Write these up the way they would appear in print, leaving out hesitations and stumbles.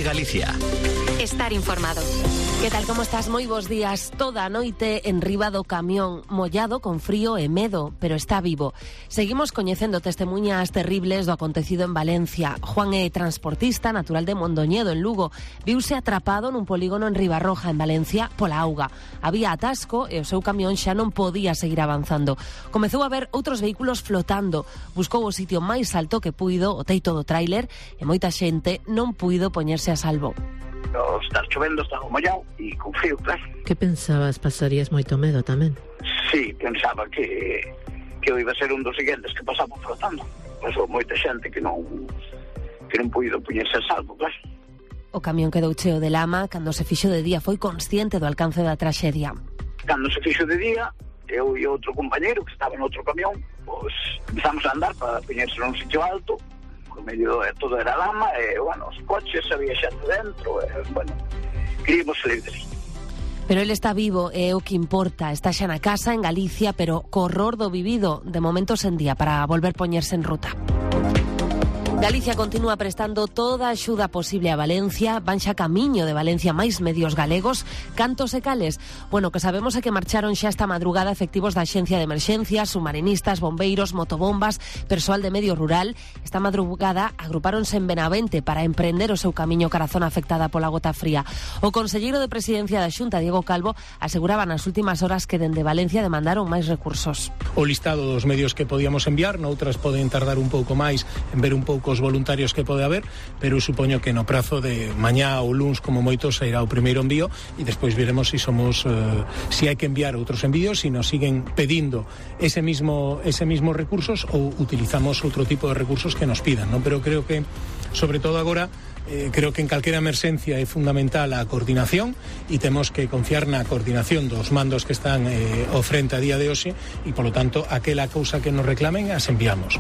COPE Galicia. Estar informado. Que tal, como estás? Moi bons días. Toda a noite en riba do camión, mollado, con frío e medo, pero está vivo. Seguimos coñecendo testemunhas terribles do acontecido en Valencia. Juan é transportista, natural de Mondoñedo, en Lugo. Viuse atrapado nun polígono en Ribarroja, en Valencia, pola auga. Había atasco e o seu camión xa non podía seguir avanzando. Comezou a ver outros vehículos flotando. Buscou o sitio máis alto que puido, o teito do tráiler, e moita xente non puido poñerse a salvo. Estar chovendo, estaba mollado e con frío, claro. Que pensabas? Pasarías moito medo tamén? Sí, pensaba que iba a ser un dos seguintes que pasaba flotando. Pasou moita xente que non puido poñerse a salvo, claro. O camión quedou cheo de lama. Cando se fixo de día foi consciente do alcance da traxedia. Cando se fixo de día, eu e outro compañeiro que estaba en outro camión, pois empezamos a andar para poñerse nun sitio alto. Por medio de todo era lama, e, os coches, había xente dentro, queríamos salir de ali. Pero ele está vivo, é o que importa. Está xa na casa, en Galicia, pero co horror do vivido, de momento sen día, para volver poñerse en ruta. Galicia continúa prestando toda a axuda posible a Valencia. Van xa camiño de Valencia máis medios galegos. Cantos e cales? Bueno, que sabemos é que marcharon xa esta madrugada efectivos da Axencia de Emerxencias, submarinistas, bombeiros, motobombas, persoal de medio rural. Esta madrugada agrupáronse en Benavente para emprender o seu camiño cara a zona afectada pola gota fría. O conselleiro de Presidencia da Xunta, Diego Calvo, aseguraba nas últimas horas que dende Valencia demandaron máis recursos. O listado dos medios que podíamos enviar, noutras poden tardar un pouco máis en ver un pouco os voluntarios que pode haber, pero supoño que no prazo de mañá ou luns como moito sairá o primeiro envío e despois veremos si hai que enviar outros envíos, si nos siguen pedindo ese mismo recursos ou utilizamos outro tipo de recursos que nos pidan, non? Pero creo que sobre todo agora creo que en calquera emerxencia é fundamental a coordinación e temos que confiar na coordinación dos mandos que están ao frente a día de hoxe e, polo tanto, aquela cousa que nos reclamen as enviamos.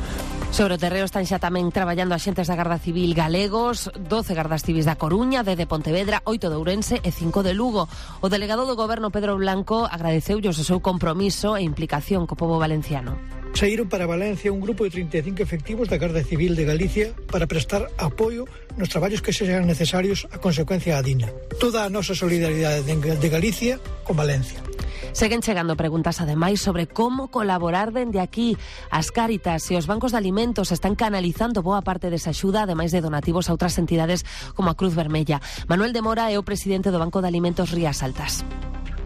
Sobre o terreo están xa tamén traballando axentes da Garda Civil galegos, 12 gardas civis da Coruña, 10 de Pontevedra, 8 de Ourense e 5 de Lugo. O delegado do Goberno, Pedro Blanco, agradeceulles o seu compromiso e implicación co pobo valenciano. Saíron para Valencia un grupo de 35 efectivos da Garda Civil de Galicia para prestar apoio nos traballos que sexan necesarios a consecuencia da DINA. Toda a nosa solidaridade de Galicia con Valencia. Seguen chegando preguntas ademais sobre como colaborar dende aquí. As Cáritas e os bancos de alimentos están canalizando boa parte desa axuda, ademais de donativos a outras entidades como a Cruz Vermella. Manuel de Mora é o presidente do Banco de Alimentos Rías Altas.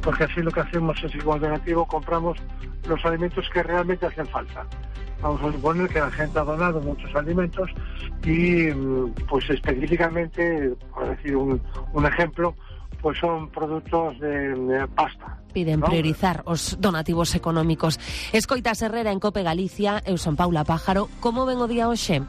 Porque así lo que hacemos es igual donativo, compramos los alimentos que realmente hacen falta. Vamos a suponer que la gente ha donado muchos alimentos y pues específicamente, por decir un ejemplo, pues son productos de pasta. Piden priorizar os donativos económicos. Escoitas Herrera en COPE Galicia, eu son Paula Pájaro. Como ven o día hoxe?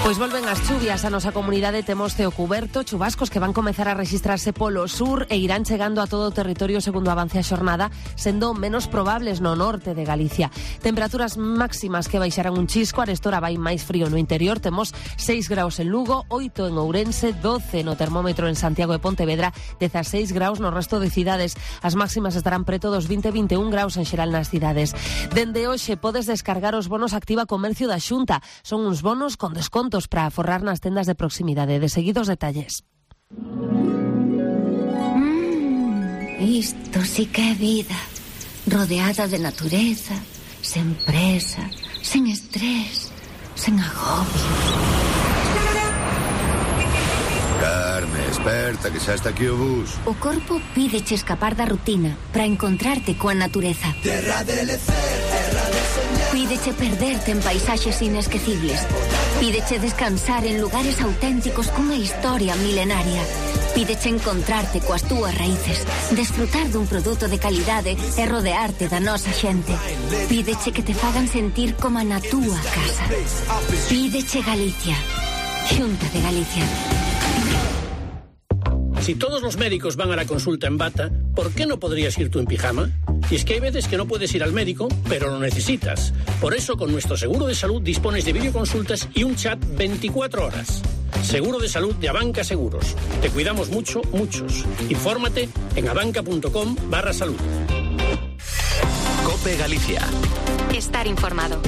Pois volven as chuvias a nosa comunidade, temos ceo cuberto, chubascos que van comezar a rexistrarse polo sur e irán chegando a todo o territorio segundo avance a xornada, sendo menos probables no norte de Galicia. Temperaturas máximas que baixarán un chisco, arestora vai máis frío no interior, temos 6 graus en Lugo, 8 en Ourense, 12 no termómetro en Santiago e Pontevedra, 16 graus no resto de cidades. As máximas estarán preto dos 20-21 graus en xeral nas cidades. Dende hoxe podes descargar os bonos Activa Comercio da Xunta. Son uns bonos con desconto para forrar nas tendas de proximidade. De seguidos detalles. Isto sí que é vida. Rodeada de natureza, sen presa, sen estrés, sen agobio. Carme, esperta, que xa está aquí o bus. O corpo pídeche escapar da rutina para encontrarte coa natureza. Terra de lecer, terra de soñar. Pídeche perderte en paisaxes inesquecibles. Pídeche descansar en lugares auténticos cunha historia milenaria. Pídeche encontrarte coas túas raíces, desfrutar dun produto de calidade e rodearte da nosa xente. Pídeche que te fagan sentir como na túa casa. Pídeche Galicia. Xunta de Galicia. Si todos los médicos van a la consulta en bata, ¿por qué no podrías ir tú en pijama? Y es que hay veces que no puedes ir al médico, pero lo necesitas. Por eso, con nuestro seguro de salud dispones de videoconsultas y un chat 24 horas. Seguro de salud de Abanca Seguros. Te cuidamos mucho, muchos. Infórmate en abanca.com/salud. COPE Galicia. Estar informado.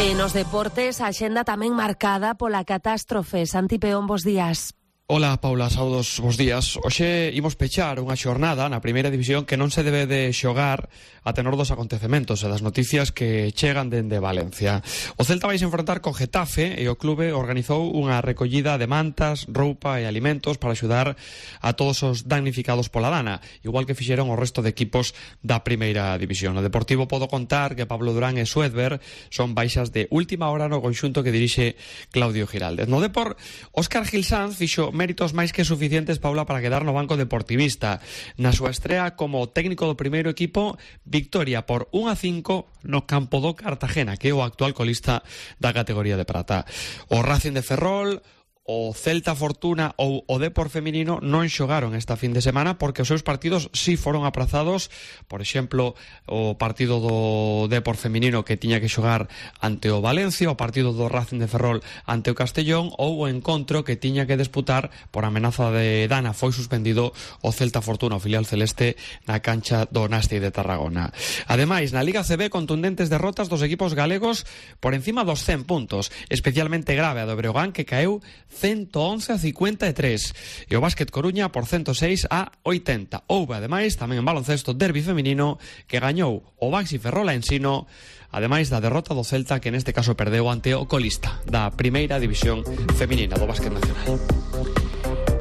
E nos deportes, a axenda tamén marcada pola catástrofe. Santi Peón, bos días. Ola, Paula, saudos, bos días. Hoxe imos pechar unha xornada na primeira división que non se debe de xogar a tenor dos acontecementos e das noticias que chegan dende Valencia. O Celta vai se enfrontar co Getafe e o clube organizou unha recollida de mantas, roupa e alimentos para axudar a todos os damnificados pola dana, igual que fixeron o resto de equipos da primeira división. O Deportivo podo contar que Pablo Durán e Suedberg son baixas de última hora no conxunto que dirixe Claudio Giraldez. No Depor, Óscar Gil Sanz fixo méritos máis que suficientes, Paula, para quedar no banco deportivista. Na súa estrea como técnico do primeiro equipo, victoria por 1-5 no campo do Cartagena, que é o actual colista da categoría de prata. O Racing de Ferrol, o Celta Fortuna ou o Depor feminino non xogaron esta fin de semana porque os seus partidos sí foron aprazados. Por exemplo, o partido do Depor feminino que tiña que xogar ante o Valencia, o partido do Racing de Ferrol ante o Castellón, ou o encontro que tiña que disputar por amenaza de dana foi suspendido o Celta Fortuna, o filial celeste, na cancha do Nasti de Tarragona. Ademais, na Liga CB, contundentes derrotas dos equipos galegos por encima dos 100 puntos, especialmente grave a do Breogán, que caeu 111-53 e o Básquet Coruña por 106-80. Houve, ademais, tamén en baloncesto derbi feminino que gañou o Baxi Ferrol a Ensino, ademais da derrota do Celta, que neste caso perdeu ante o colista da primeira división feminina do básquet nacional.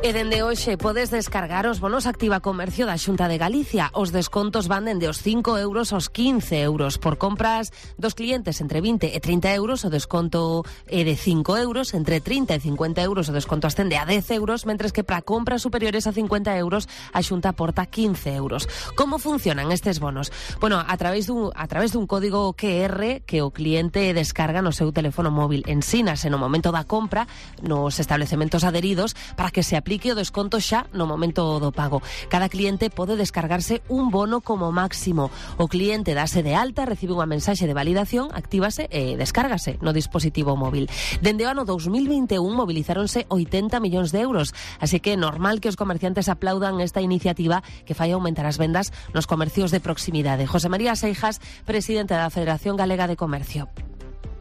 E dende hoxe podes descargar os bonos Activa Comercio da Xunta de Galicia. Os descontos van dende os 5 euros aos 15 euros. Por compras dos clientes entre 20 e 30 euros, o desconto é de 5 euros. Entre 30 e 50 euros, o desconto ascende a 10 euros, mentres que para compras superiores a 50 euros, a Xunta aporta 15 euros. Como funcionan estes bonos? Bueno, a través dun código QR que o cliente descarga no seu teléfono móvil. Ensínase no momento da compra nos establecementos adheridos para que se aplique o desconto xa no momento do pago. Cada cliente pode descargarse un bono como máximo. O cliente dase de alta, recibe unha mensaxe de validación, actívase e descárgase no dispositivo móvil. Dende o ano 2021 movilizáronse 80 millóns de euros, así que é normal que os comerciantes aplaudan esta iniciativa que fai aumentar as vendas nos comercios de proximidade. José María Seijas, presidente da Federación Galega de Comercio.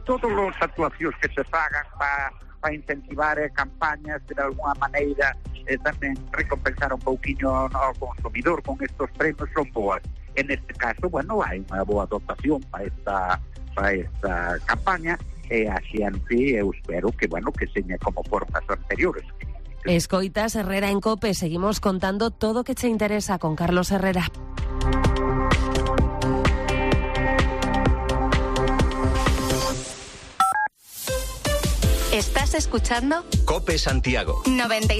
Todas as actuacións que se fagan para incentivar campañas de alguna maneira tamén recompensar un pouquiño ao consumidor con estos premios son boas. En este caso, bueno, hai unha boa dotación para esta campaña e a xente eu espero que, bueno, que seña como formas anteriores. Escoitas Herrera en COPE, seguimos contando todo o que che interesa con Carlos Herrera. ¿Estás escuchando? COPE Santiago 96.